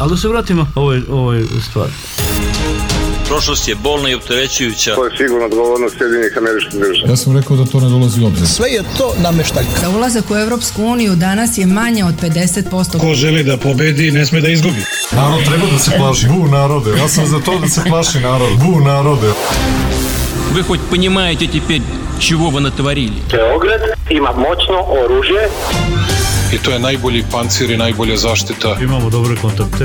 Ali da se vratimo ovoj stvari. Prošlost je bolna i opterećujuća. To je sigurno odgovornost Sjedinjenih Američkih Država. Ja sam rekao da to ne dolazi u obzir. Sve je to nameštaljka. Za ulazak u Evropsku uniju danas je manje od 50%. Ko želi da pobedi, ne sme da izgubi. Narod treba da se plaši. Bu narode. Ja sam za to da se plaši narod. Bu narode. Вы хоть понимаете теперь, чего вы натворили? Beograd ima moćno oružje. I to je najbolji pancir i najbolja zaštita. Imamo dobre kontakte.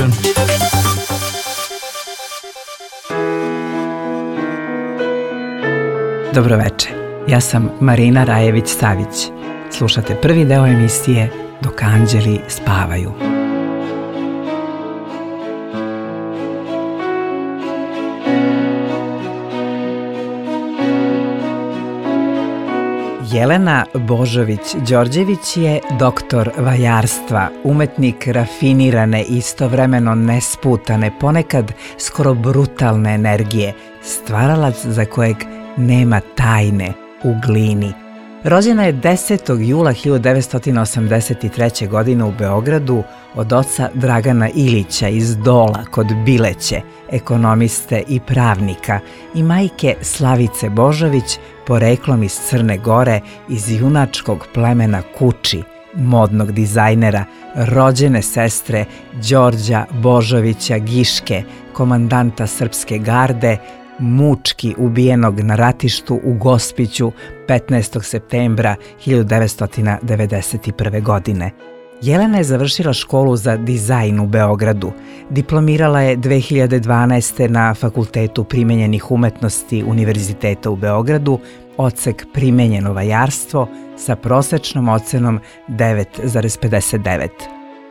Dobroveče, ja sam Marina Rajević-Savić. Slušate prvi deo emisije Dok anđeli spavaju. Jelena Božović-Đorđević je doktor vajarstva, umetnik rafinirane i istovremeno nesputane, ponekad skoro brutalne energije, stvaralac za kojeg nema tajne u glini. Rođena je 10. jula 1983. godine u Beogradu od oca Dragana Ilića iz Dola kod Bileće, ekonomiste i pravnika, i majke Slavice Božović, poreklom iz Crne Gore, iz junačkog plemena Kuči, modnog dizajnera, rođene sestre Đorđa Božovića Giške, komandanta Srpske garde, mučki ubijenog na ratištu u Gospiću 15. septembra 1991. godine. Jelena je završila školu za dizajn u Beogradu. Diplomirala je 2012. na Fakultetu primenjenih umetnosti Univerziteta u Beogradu, odsek primenjeno vajarstvo sa prosečnom ocenom 9,59.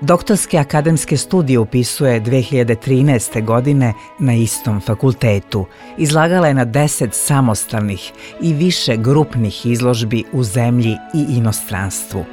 Doktorske akademske studije upisuje 2013. godine na istom fakultetu. Izlagala je na 10 samostalnih i više grupnih izložbi u zemlji i inostranstvu.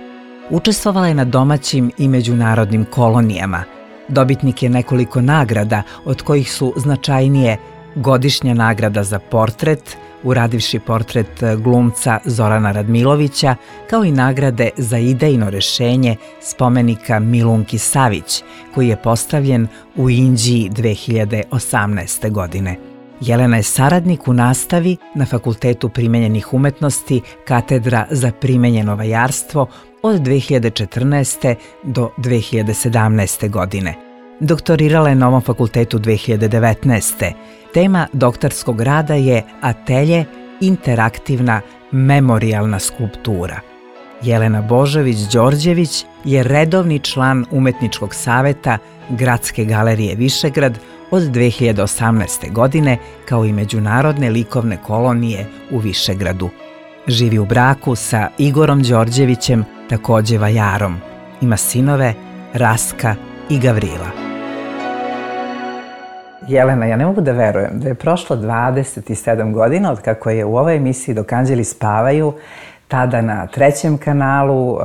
Učestvovala je na domaćim i međunarodnim kolonijama. Dobitnik je nekoliko nagrada, od kojih su značajnije godišnja nagrada za portret, uradivši portret glumca Zorana Radmilovića, kao i nagrade za idejno rešenje spomenika Milunki Savić, koji je postavljen u Inđiji 2018. godine. Jelena je saradnik u nastavi na Fakultetu primenjenih umetnosti, katedra za primenjeno vajarstvo od 2014. do 2017. godine. Doktorirala je na ovom fakultetu 2019. Tema doktorskog rada je Atelje interaktivna memorijalna skulptura. Jelena Božović-Đorđević je redovni član Umetničkog saveta Gradske galerije Višegrad od 2018. godine, kao i Međunarodne likovne kolonije u Višegradu. Živi u braku sa Igorom Đorđevićem, takođe vajarom. Ima sinove Raska i Gavrila. Jelena, ja ne mogu da verujem da je prošlo 27 godina od kako je u ovoj emisiji Dok anđeli spavaju, tada na 3. kanalu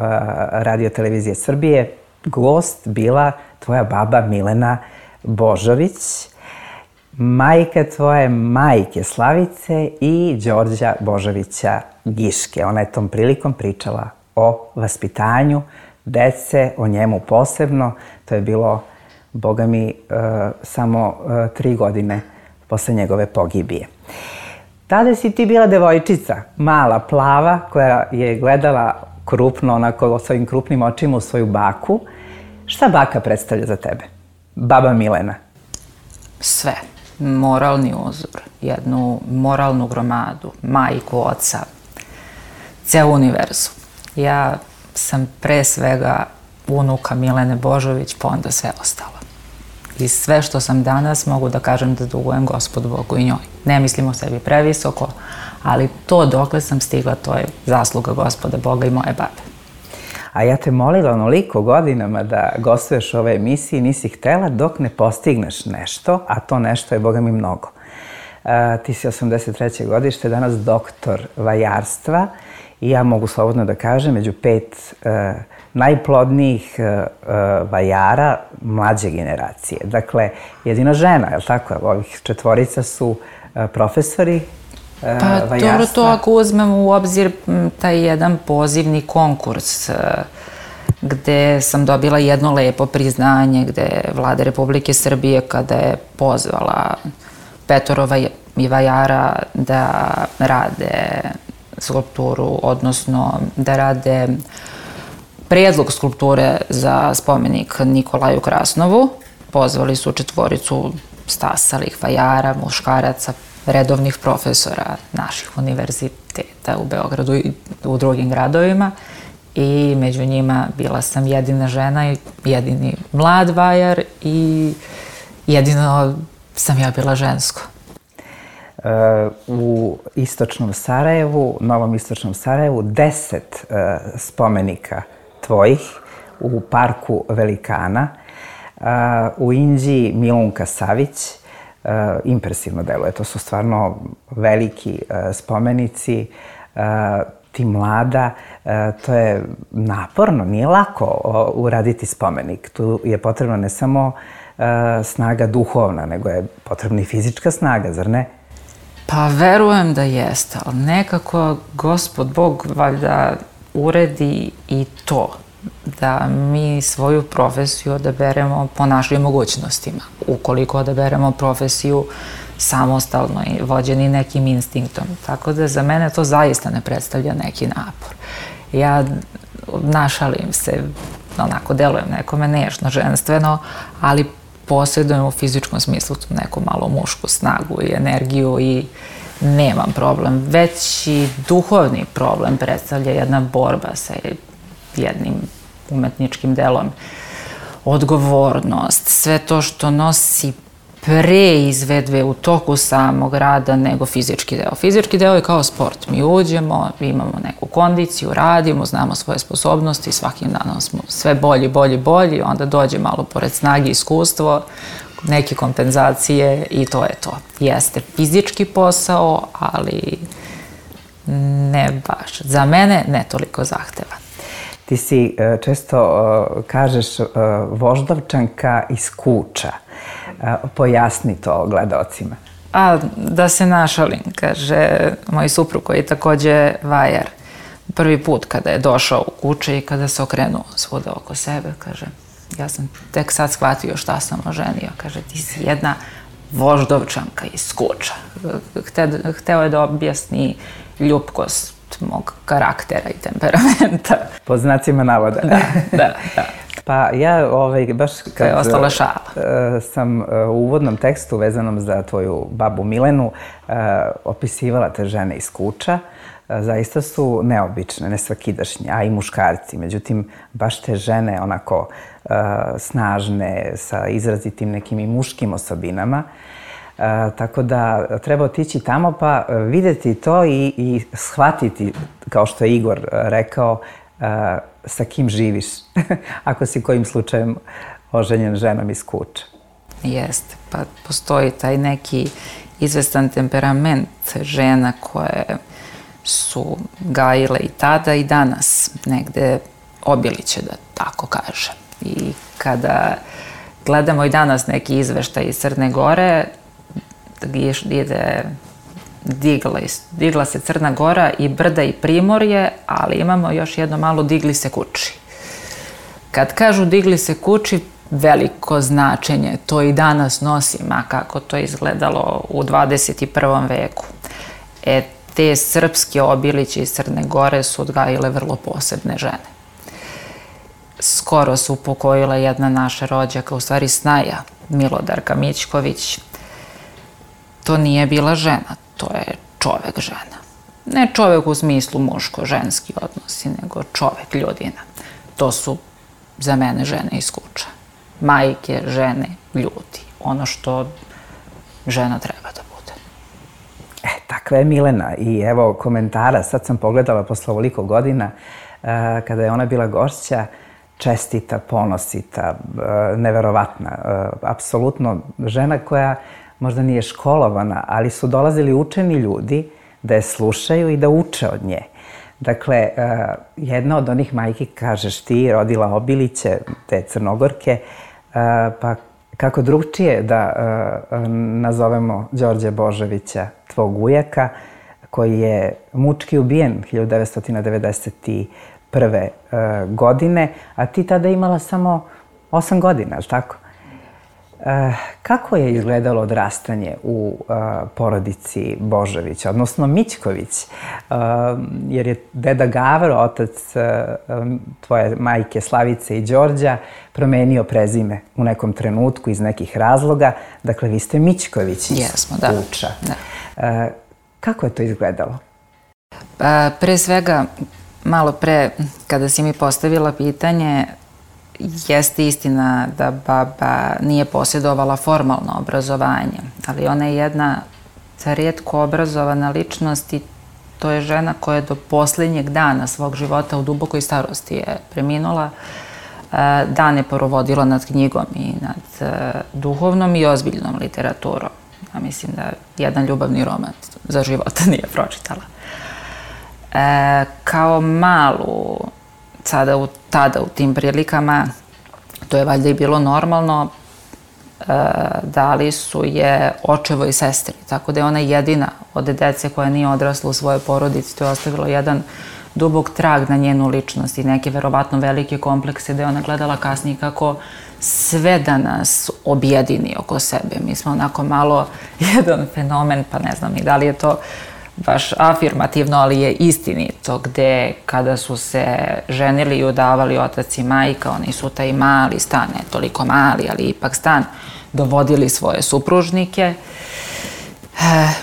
Radio televizije Srbije, gost bila tvoja baba Milena Božović, majka tvoje majke Slavice i Đorđa Božovića Giške. Ona je tom prilikom pričala o vaspitanju dece, o njemu posebno. To je bilo, boga mi, samo 3 godine posle njegove pogibije. Tada si ti bila devojčica, mala, plava, koja je gledala krupno, onako svojim krupnim očima u svoju baku. Šta baka predstavlja za tebe? Baba Milena. Sve. Moralni uzor, jednu moralnu gromadu, majku, oca, ceo univerzum. Ja sam pre svega unuka Milene Božović, pa onda sve ostalo. I sve što sam danas mogu da kažem da dugujem Gospodu Bogu i njoj. Ne mislim o sebi previsoko, ali to dokle sam stigla, to je zasluga Gospoda Boga i moje babe. A ja te molila onoliko godinama da gostuješ u ovoj emisiji, nisi htela dok ne postigneš nešto, a to nešto je, boga mi, mnogo. Ti si 83. godište, danas doktor vajarstva i ja mogu slobodno da kažem među 5 najplodnijih vajara mlađe generacije. Dakle, jedina žena, je li tako? Ovih 4 su profesori vajarstva. Pa dobro, to ako uzmemo u obzir taj jedan pozivni konkurs gde sam dobila jedno lepo priznanje, gde je Vlada Republike Srbije, kada je pozvala 5 vajara da rade skulpturu, odnosno da rade predlog skulpture za spomenik Nikolaju Krasnovu. Pozvali su 4 stasalih vajara, muškaraca, redovnih profesora naših univerziteta u Beogradu i u drugim gradovima. I među njima bila sam jedina žena i jedini mlad vajar i jedino sam ja bila žensko. U istočnom Sarajevu, Novom istočnom Sarajevu, 10 spomenika tvojih u parku velikana. U Inđiji Milunka Savić, impresivno deluje. To su stvarno veliki spomenici. Ti mlada, to je naporno, nije lako uraditi spomenik. Tu je potrebna ne samo snaga duhovna, nego je potrebna i fizička snaga, zar ne? Pa verujem da jeste, ali nekako Gospod Bog valjda uredi i to, da mi svoju profesiju odaberemo po našim mogućnostima. Ukoliko odaberemo profesiju samostalno i vođeni nekim instinktom. Tako da za mene to zaista ne predstavlja neki napor. Ja našalim se, onako delujem nekome nežno, ženstveno, ali posjedujem u fizičkom smislu tu neku malo mušku snagu i energiju i nemam problem. Već i duhovni problem predstavlja jedna borba sa jednim umetničkim delom. Odgovornost, sve to što nosi pre izvedbe u toku samog rada nego fizički deo. Fizički deo je kao sport. Mi uđemo, imamo neku kondiciju, radimo, znamo svoje sposobnosti, svakim danom smo sve bolji, onda dođe malo pored snage iskustvo, neke kompenzacije i to je to. Jeste fizički posao, ali ne baš. Za mene ne toliko zahtevan. Ti si često kažeš Voždovčanka iz Kuča. Pojasni to gledocima. Da se našalim, kaže moj suprug koji je takođe vajar. Prvi put kada je došao u Kuče i kada se okrenuo svuda oko sebe, kaže, ja sam tek sad shvatio šta sam oženio. Kaže, ti si jedna Voždovčanka iz Kuča. Hteo je da objasni ljupkost mog karaktera i temperamenta. Po znacima navoda. Da. Pa ja baš kad je ostala šala. Sam u uvodnom tekstu vezanom za tvoju babu Milenu opisivala te žene iz Kuča. Zaista su neobične, nesvakidašnje, a i muškarci. Međutim, baš te žene onako snažne, sa izrazitim nekim i muškim osobinama. Tako da treba otići tamo pa videti to i shvatiti, kao što je Igor rekao, sa kim živiš, ako si kojim slučajem oženjen ženom iz Kuča. Jeste, pa postoji taj neki izvestan temperament žena koje su gajile i tada i danas, negde Obiliće, da tako kažem. I kada gledamo i danas neki izveštaj iz Crne Gore, digla se Crna Gora i Brda i Primorje, ali imamo još jedno malo digli se Kuči. Kad kažu digli se Kuči, veliko značenje to i danas nosi, ma kako to izgledalo u 21. veku. Te srpske Obiliće iz Crne Gore su odgajile vrlo posebne žene. Skoro su upokojila jedna naša rođaka, u stvari snaja, Milodarka Mićković. To nije bila žena, to je čovek žena. Ne čovek u smislu muško-ženski odnosi, nego čovek, ljudina. To su za mene žene iz Kuča. Majke, žene, ljudi. Ono što žena treba da bude. Takva je Milena i evo komentara. Sad sam pogledala posle ovoliko godina kada je ona bila gošća, čestita, ponosita, neverovatna. Apsolutno žena koja možda nije školovana, ali su dolazili učeni ljudi da je slušaju i da uče od nje. Dakle, jedna od onih majki, kažeš ti, rodila Obiliće, te Crnogorke, pa kako drugčije da nazovemo Đorđe Božovića, tvog ujaka, koji je mučki ubijen 1995. godine, a ti tada imala samo 8 godina, ali tako? Kako je izgledalo odrastanje u porodici Božović, odnosno Mićković? Jer je deda Gavro, otac tvoje majke Slavice i Đorđa, promenio prezime u nekom trenutku iz nekih razloga. Dakle, vi ste Mićković iz Kuča. Kako je to izgledalo? Pre svega, malo pre, kada si mi postavila pitanje, jeste istina da baba nije posjedovala formalno obrazovanje, ali ona je jedna rijetko obrazovana ličnost i to je žena koja je do posljednjeg dana svog života u dubokoj starosti je preminula. Dane provodila nad knjigom i nad duhovnom i ozbiljnom literaturom. Ja mislim da jedan ljubavni roman za života nije pročitala. Kao malu, tada u tim prilikama, to je valjda i bilo normalno, dali su je očevo i sestri, tako da je ona jedina od dece koja nije odrasla u svojoj porodici. To je ostavilo jedan dubok trag na njenu ličnost i neke verovatno velike komplekse da je ona gledala kasnije kako sve da nas objedini oko sebe. Mi smo onako malo jedan fenomen, pa ne znam ni da li je to baš afirmativno, ali je istinito, gde kada su se ženili i udavali otac i majka, oni su taj mali stan, ne toliko mali, ali ipak stan, dovodili svoje supružnike,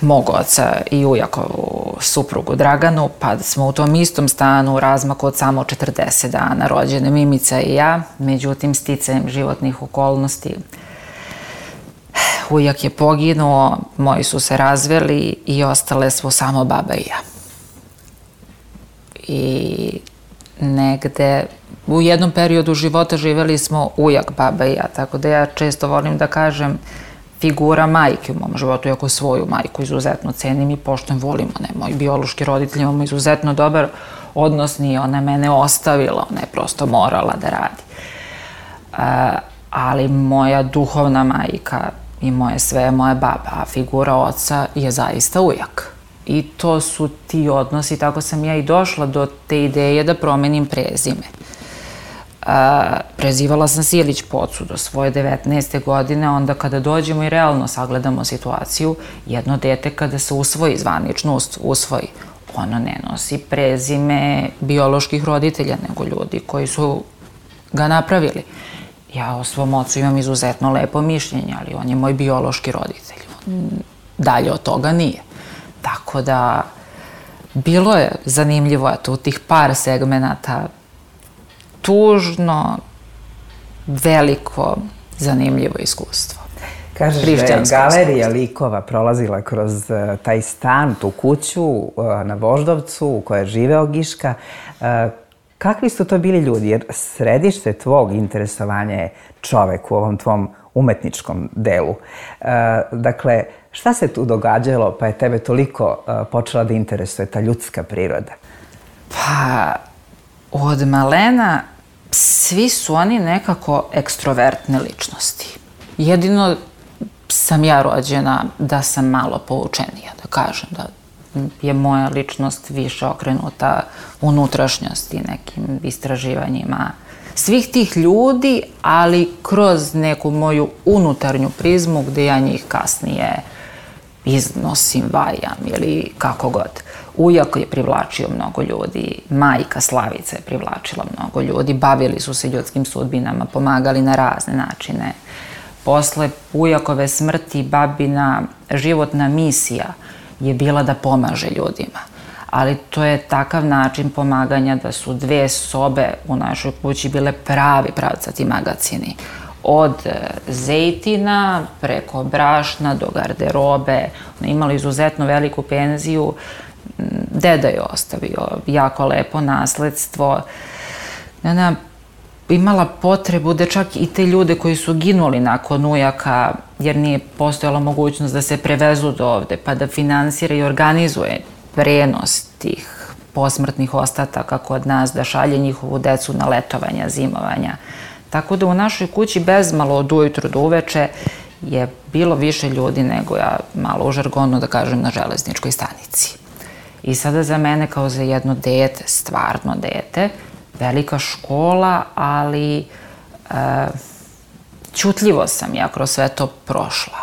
mog oca i ujakovu suprugu Draganu, pa smo u tom istom stanu u razmaku od samo 40 dana rođene Mimica i ja. Međutim, sticajem životnih okolnosti, ujak je poginuo, moji su se razveli i ostale smo samo baba i ja. I negde u jednom periodu života živeli smo ujak, baba i ja, tako da ja često volim da kažem figura majke u mom životu, iako svoju majku izuzetno cenim i poštujem, volimo, ne, moji biološki roditelji imamo izuzetno dobar odnos, nije ona mene ostavila, ona je prosto morala da radi. Ali moja duhovna majka i moje sve, moja baba, a figura oca je zaista ujak. I to su ti odnosi, tako sam ja i došla do te ideje da promenim prezime. Prezivala sam Silić Pocu do svoje 19. godine, onda kada dođemo i realno sagledamo situaciju, jedno dete kada se usvoji, zvanično usvoji, ono ne nosi prezime bioloških roditelja, nego ljudi koji su ga napravili. Ja o svom ocu imam izuzetno lepo mišljenje, ali on je moj biološki roditelj. Dalje od toga nije. Tako da, bilo je zanimljivo, eto, u tih par segmenata, tužno, veliko, zanimljivo iskustvo. Kažeš da je galerija likova prolazila kroz taj stan, tu kuću na Voždovcu u kojoj je živeo Giška. Kakvi su to bili ljudi? Jer središte tvog interesovanja je čovek u ovom tvom umetničkom delu. Dakle, šta se tu događalo pa je tebe toliko počela da interesuje ta ljudska priroda? Pa, od malena svi su oni nekako ekstrovertne ličnosti. Jedino sam ja rođena da sam malo poučenija, da kažem, da je moja ličnost više okrenuta unutrašnjosti, nekim istraživanjima svih tih ljudi, ali kroz neku moju unutarnju prizmu gde ja njih kasnije iznosim, vajam ili kako god. Ujak je privlačio mnogo ljudi, majka Slavica je privlačila mnogo ljudi, bavili su se ljudskim sudbinama, pomagali na razne načine. Posle ujakove smrti babina životna misija je bila da pomaže ljudima. Ali to je takav način pomaganja da su 2 sobe u našoj kući bile pravi pravcati magacini. Od zejtina preko brašna do garderobe. Imali izuzetno veliku penziju. Deda je ostavio jako lepo nasledstvo. Ona imala potrebu da čak i te ljude koji su ginuli nakon ujaka, jer nije postojala mogućnost da se prevezu do ovde, pa da finansira i organizuje prenos tih posmrtnih ostataka kod nas, da šalje njihovu decu na letovanja, zimovanja. Tako da u našoj kući bezmalo od ujutru do uveče je bilo više ljudi nego ja, malo u žargonu da kažem, na železničkoj stanici. I sada za mene kao za jedno dete, stvarno dete, velika škola, ali ćutljivo sam ja kroz sve to prošla.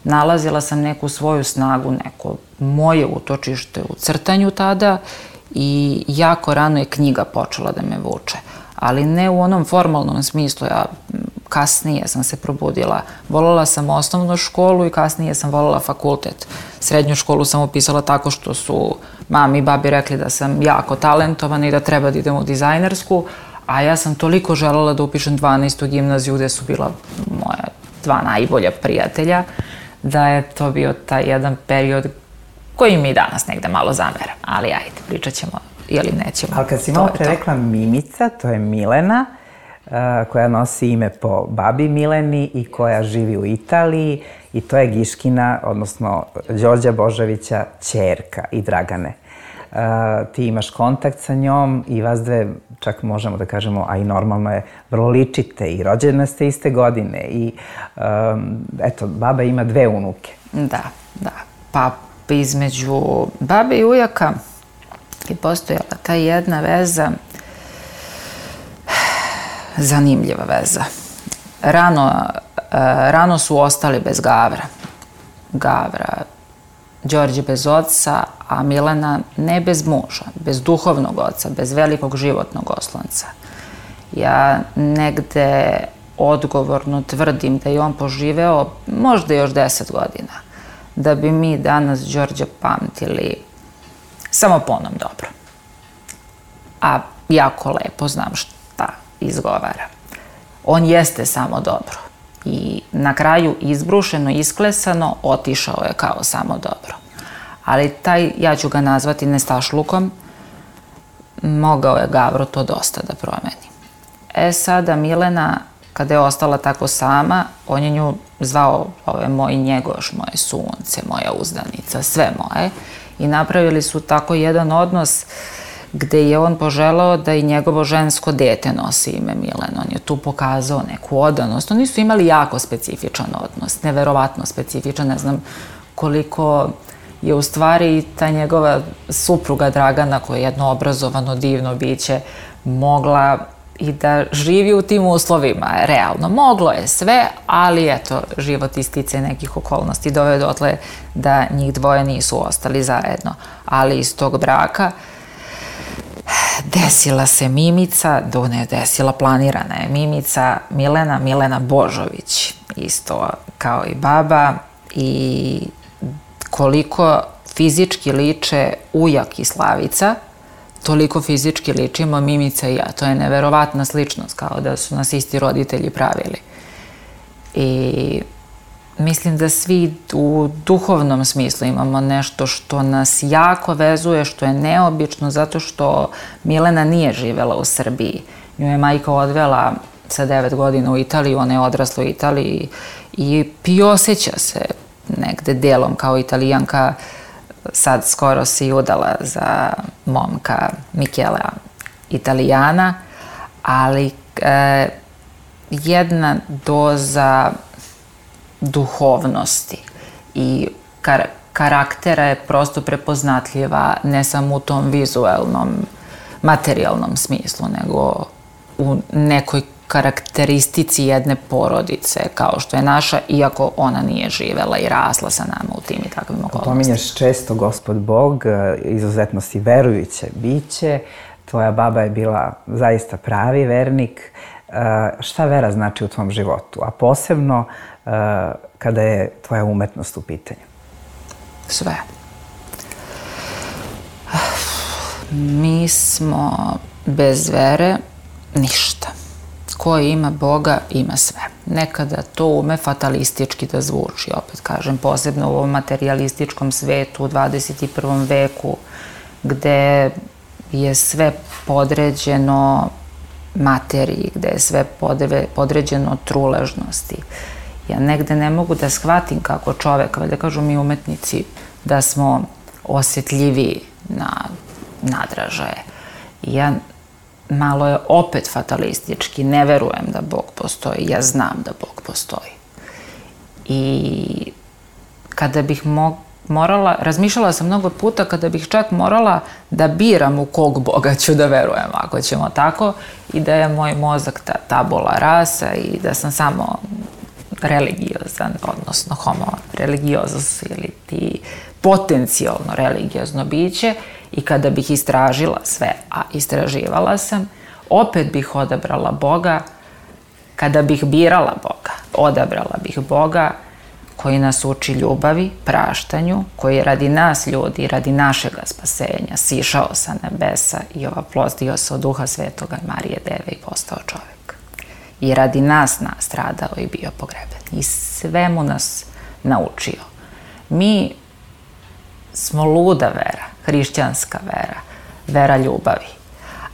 Nalazila sam neku svoju snagu, neko moje utočište u crtanju tada i jako rano je knjiga počela da me vuče. Ali ne u onom formalnom smislu, ja kasnije sam se probudila. Volela sam osnovnu školu i kasnije sam volela fakultet. Srednju školu sam upisala tako što su mami i babi rekli da sam jako talentovana i da treba da idem u dizajnersku, a ja sam toliko želela da upišem 12. gimnaziju gde su bila moja 2 najbolja prijatelja, da je to bio taj jedan period koji mi danas negde malo zameram. Ali ajde, pričat ćemo ili nećemo. Ali kad si malo pre rekla Mimica, to je Milena, koja nosi ime po babi Mileni i koja živi u Italiji, i to je Giškina, odnosno Đorđa Božovića, ćerka i Dragane. Ti imaš kontakt sa njom i vas dve, čak možemo da kažemo, a i normalno je, vrlo ličite i rođene ste iste godine i eto, baba ima 2 unuke. Da. Pa između babe i ujaka je postojala ta jedna veza, zanimljiva veza. Rano su ostali bez Gavra, Đorđe bez oca, a Milena ne bez muža, bez duhovnog oca, bez velikog životnog oslonca. Ja negde odgovorno tvrdim da je on poživeo možda još 10 godina, da bi mi danas Đorđa pamtili samo po onom dobro. A jako lepo znam šta izgovara. On jeste samo dobro. I na kraju izbrušeno, isklesano, otišao je kao samo dobro. Ali taj, ja ću ga nazvati nestašlukom, mogao je Gavro to dosta da promeni. Sada Milena, kada je ostala tako sama, on je nju zvao, ovo je moj njegoš, moje sunce, moja uzdanica, sve moje. I napravili su tako jedan odnos gde je on poželao da i njegovo žensko dete nosi ime Milena. On je tu pokazao neku odanost. Oni su imali jako specifičan odnos, neverovatno specifičan. Ne znam koliko je u stvari ta njegova supruga Dragana, koja je jedno obrazovano, divno biće, mogla i da živi u tim uslovima. Realno, moglo je sve, ali eto, život istice nekih okolnosti doveo dotle da njih dvoje nisu ostali zajedno. Ali iz tog braka desila se Mimica, da ne desila, planirana je Mimica, Milena Božović, isto kao i baba, i koliko fizički liče ujak i Slavica, toliko fizički ličimo Mimica i ja. To je neverovatna sličnost, kao da su nas isti roditelji pravili. I mislim da svi u duhovnom smislu imamo nešto što nas jako vezuje, što je neobično, zato što Milena nije živela u Srbiji. Nju je majka odvela sa 9 godina u Italiju, ona je odrasla u Italiji i osjeća se negde delom kao Italijanka. Sad skoro se udala za momka Michela Italijana, ali jedna doza duhovnosti i karaktera je prosto prepoznatljiva ne samo u tom vizuelnom, materijalnom smislu, nego u nekoj karakteristici jedne porodice, kao što je naša, iako ona nije živela i rasla sa nama u tim i takvim okolnostima. Pominješ često Gospod Bog, izuzetno si verujuće biće, tvoja baba je bila zaista pravi vernik. Šta vera znači u tvom životu, a posebno kada je tvoja umetnost u pitanju? Sve. Mi smo bez vere ništa. Ko ima Boga, ima sve. Nekada to ume fatalistički da zvuči, opet kažem, posebno u ovom materialističkom svetu u 21. veku, gde je sve podređeno materiji, gde je sve podređeno truležnosti. Ja negde ne mogu da shvatim kako čovek, da kažu mi umetnici, da smo osjetljiviji na nadražaje. Ja malo je opet fatalistički, ne verujem da Bog postoji, ja znam da Bog postoji. I kada bih razmišljala sam mnogo puta kada bih čak morala da biram u kog Boga ću da verujem, ako ćemo tako, i da je moj mozak ta tabula rasa i da sam samo religiozan, odnosno homo religiozus ili ti potencijalno religiozno biće, i kada bih istražila sve, a istraživala sam, opet bih odabrala Boga. Kada bih birala Boga, odabrala bih Boga koji nas uči ljubavi, praštanju, koji je radi nas ljudi, radi našega spasenja, sišao sa nebesa i ovaplodio se od Duha Svetoga i Marije Deve i postao čovjek. I radi nas stradao i bio pogreben. I svemu nas naučio. Mi smo luda vera, hrišćanska vera, vera ljubavi.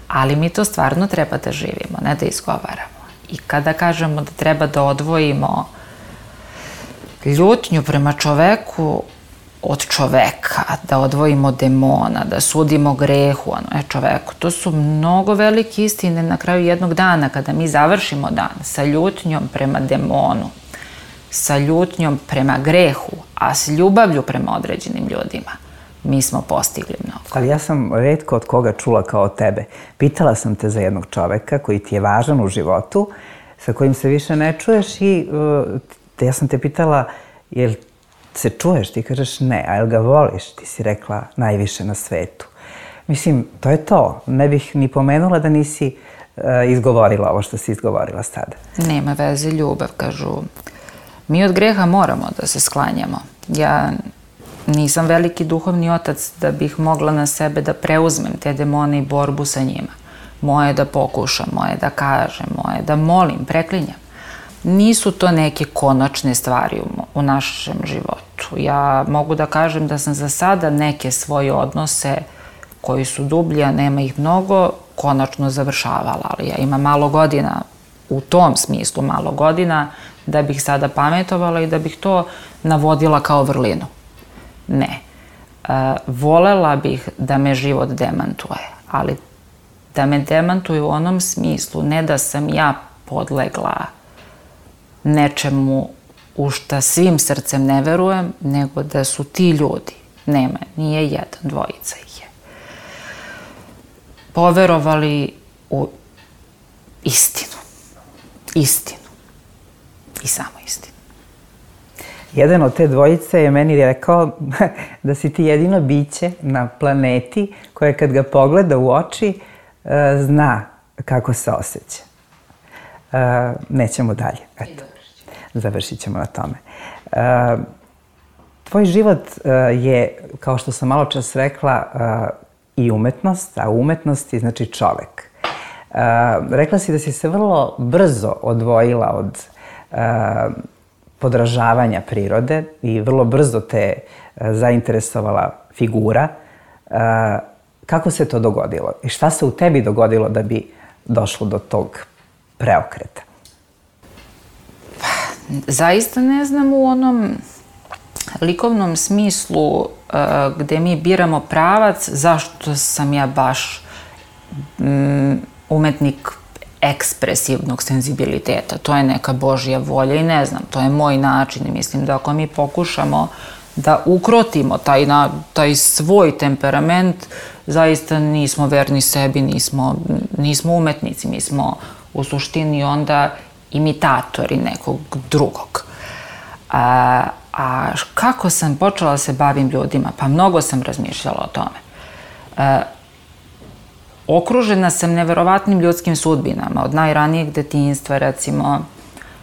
Ali mi to stvarno treba da živimo, ne da izgovaramo. I kada kažemo da treba da odvojimo ljutnju prema čoveku od čoveka, da odvojimo demona, da sudimo grehu čoveku, to su mnogo velike istine na kraju jednog dana, kada mi završimo dan sa ljutnjom prema demonu, sa ljutnjom prema grehu, a s ljubavlju prema određenim ljudima, mi smo postigli mnogo. Ali ja sam retko od koga čula kao tebe. Pitala sam te za jednog čoveka koji ti je važan u životu, sa kojim se više ne čuješ, i ja sam te pitala, jel se čuješ? Ti kažeš ne. A jel ga voliš? Ti si rekla najviše na svetu. Mislim, to je to. Ne bih ni pomenula da nisi izgovorila ovo što si izgovorila sada. Nema veze, ljubav, kažu. Mi od greha moramo da se sklanjamo. Ja nisam veliki duhovni otac da bih mogla na sebe da preuzmem te demone i borbu sa njima. Moje da pokušam, moje da kažem, moje da molim, preklinjam. Nisu to neke konačne stvari u našem životu. Ja mogu da kažem da sam za sada neke svoje odnose koji su dublji, a nema ih mnogo, konačno završavala. Ali ja imam malo godina, u tom smislu malo godina, da bih sada pametovala i da bih to navodila kao vrlinu. Ne. Volela bih da me život demantuje, ali da me demantuje u onom smislu, ne da sam ja podlegla nečemu u šta svim srcem ne verujem, nego da su ti ljudi, nema, nije jedan, dvojica ih je, poverovali u istinu. Istinu. I samo istinu. Jedan od te dvojice je meni rekao da si ti jedino biće na planeti koje kad ga pogleda u oči zna kako se osjeća. Nećemo dalje. Eto. Završit ćemo na tome. Tvoj život je, kao što sam malo čas rekla, i umetnost, a u umetnosti znači čovek. Rekla si da si se vrlo brzo odvojila od podražavanja prirode i vrlo brzo te zainteresovala figura. Kako se to dogodilo? I šta se u tebi dogodilo da bi došlo do tog preokreta? Zaista ne znam u onom likovnom smislu gde mi biramo pravac zašto sam ja baš umetnik ekspresivnog senzibiliteta. To je neka Božja volja i ne znam, to je moj način i mislim da ako mi pokušamo da ukrotimo taj svoj temperament, zaista nismo verni sebi, nismo umetnici, mi smo u suštini onda imitatori nekog drugog. A kako sam počela da se bavim ljudima? Pa mnogo sam razmišljala o tome. Okružena sam neverovatnim ljudskim sudbinama. Od najranijeg detinjstva, recimo,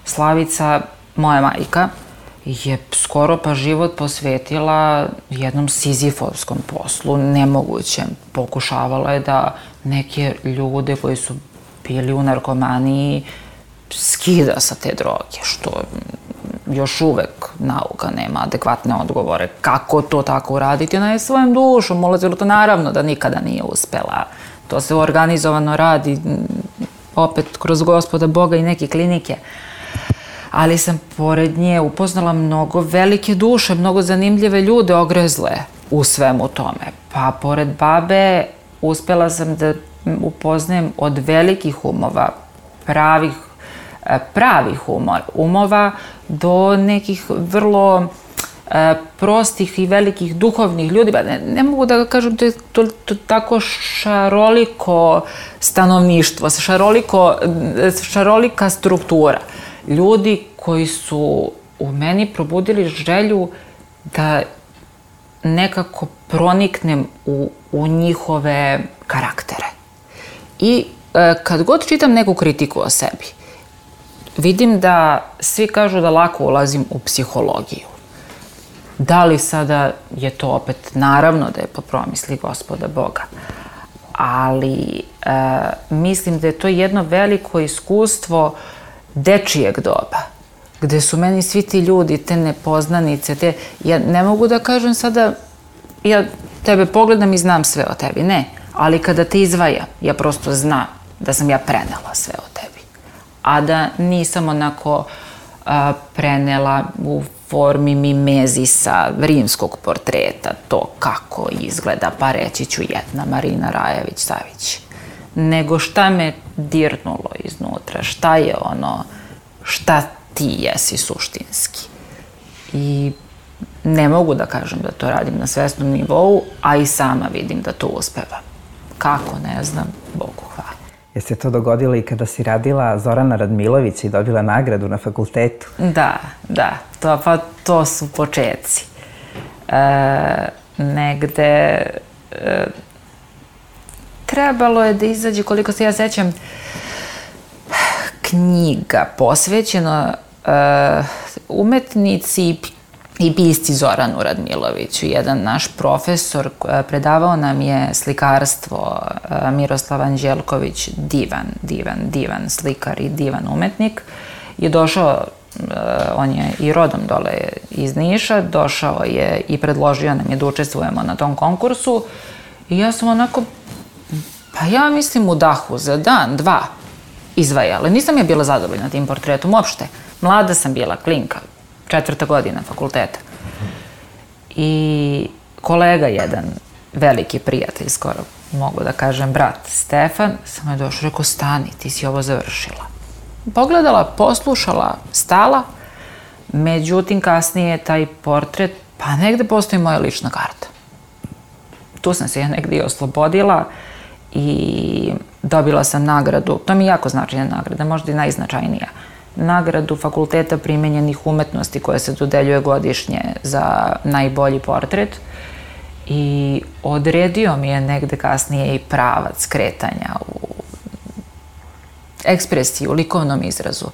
Slavica, moja majka, je skoro pa život posvetila jednom sizifovskom poslu, nemogućem. Pokušavala je da neke ljude koji su bili u narkomaniji skida sa te droge, što još uvek nauka nema adekvatne odgovore. Kako to tako uraditi? Ona je svojom dušom ulazila, to naravno da nikada nije uspela. To se organizovano radi, opet kroz Gospoda Boga i neke klinike. Ali sam pored nje upoznala mnogo velike duše, mnogo zanimljive ljude ogrezle u svemu tome. Pa pored babe uspela sam da upoznajem od velikih umova, pravih umova, do nekih vrlo prostih i velikih duhovnih ljudi, ne mogu da kažem, to je tako šaroliko stanovništvo, šarolika struktura. Ljudi koji su u meni probudili želju da nekako proniknem u njihove karaktere. I kad god čitam neku kritiku o sebi, vidim da svi kažu da lako ulazim u psihologiju. Da li sada je to opet, naravno da je po promisli Gospoda Boga, ali mislim da je to jedno veliko iskustvo dečijeg doba, gde su meni svi ti ljudi, te nepoznanice, ja ne mogu da kažem sada, ja tebe pogledam i znam sve o tebi, ne, ali kada te izdvajam, ja prosto znam da sam ja prenela sve o tebi, a da nisam onako prenela u formi mimezisa rimskog portreta, to kako izgleda, pa reći ću jedna Marina Rajević-Savić, nego šta me dirnulo iznutra, šta je ono, šta ti jesi suštinski. I ne mogu da kažem da to radim na svesnom nivou, a i sama vidim da to uspevam. Kako, ne znam, Bogu hvala. Je se to dogodilo i kada si radila Zorana Radmilovića i dobila nagradu na fakultetu? Da, to su početci. Negde trebalo je da izađe, koliko se ja sećam, knjiga posvećena umetnici i pisci Zoranu Radmiloviću. Jedan naš profesor, predavao nam je slikarstvo, Miroslav Anđelković, divan slikar i divan umetnik, je došao, on je i rodom dole iz Niša, došao je i predložio nam je da učestvujemo na tom konkursu i ja sam onako, pa ja mislim u dahu za dan, dva izvajala. Nisam ja bila zadovoljna tim portretom uopšte. Mlada sam bila, klinka, 4. godina fakulteta. I kolega jedan, veliki prijatelj, skoro mogu da kažem brat, Stefan, sam je došao, rekao, stani, ti si ovo završila. Pogledala, poslušala, stala, međutim kasnije taj portret, pa negde postoji moja lična karta. Tu sam se ja negde oslobodila i dobila sam nagradu, to mi je jako značajna nagrada, možda i najznačajnija, nagradu Fakulteta primenjenih umetnosti koja se dodeljuje godišnje za najbolji portret i odredio mi je negde kasnije i pravac kretanja u ekspresiji, u likovnom izrazu.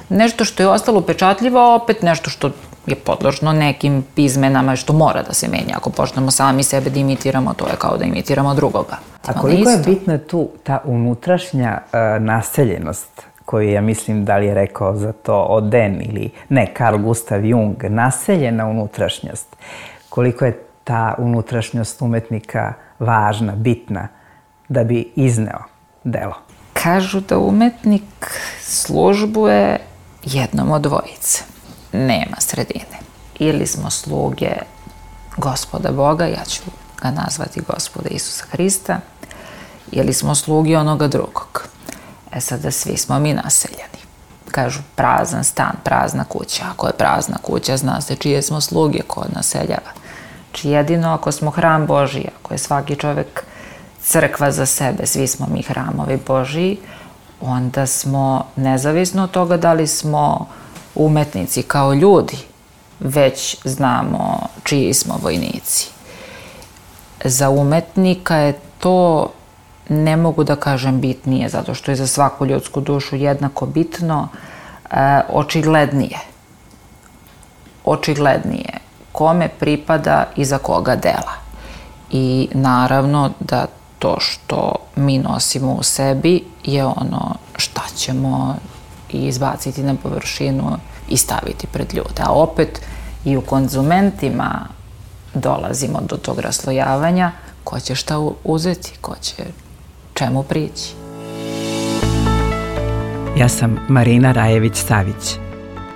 Nešto što je ostalo upečatljivo, a opet nešto što je podložno nekim izmenama što mora da se menja. Ako počnemo sami sebe da imitiramo, to je kao da imitiramo drugoga. A koliko je bitna tu ta unutrašnja naseljenost koju ja mislim da li je rekao za to Oden ili ne, Carl Gustav Jung, naseljena unutrašnjost. Koliko je ta unutrašnjost umetnika važna, bitna da bi izneo delo? Kažu da umetnik službuje jednom od dvojice. Nema sredine. Ili smo sluge Gospoda Boga, ja ću ga nazvati Gospoda Isusa Hrista, ili smo sluge onoga drugog. Sada svi smo mi naseljeni. Kažu prazan stan, prazna kuća. Ako je prazna kuća, zna se čije smo sluge, ko naseljava. Znači jedino ako smo hram Božiji, ako je svaki čovek crkva za sebe, svi smo mi hramovi Božiji, onda smo, nezavisno od toga da li smo umetnici kao ljudi, već znamo čiji smo vojnici. Za umetnika je to, ne mogu da kažem bitnije, zato što je za svaku ljudsku dušu jednako bitno, očiglednije. Očiglednije kome pripada i za koga dela. I naravno da to što mi nosimo u sebi je ono šta ćemo izbaciti na površinu i staviti pred ljude. A opet i u konzumentima dolazimo do tog raslojavanja, ko će šta uzeti, ko će čemu prići. Ja sam Marina Rajević-Savić.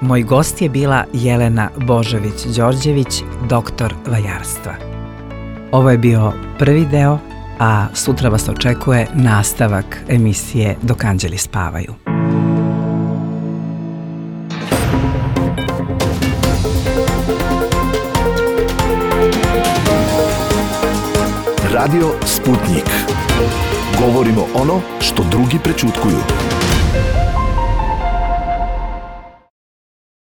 Moj gost je bila Jelena Božović-Đorđević, doktor vajarstva. Ovo je bio prvi deo, a sutra vas očekuje nastavak emisije Dok anđeli spavaju. Radio Sputnik. Govorimo ono što drugi prećutkuju.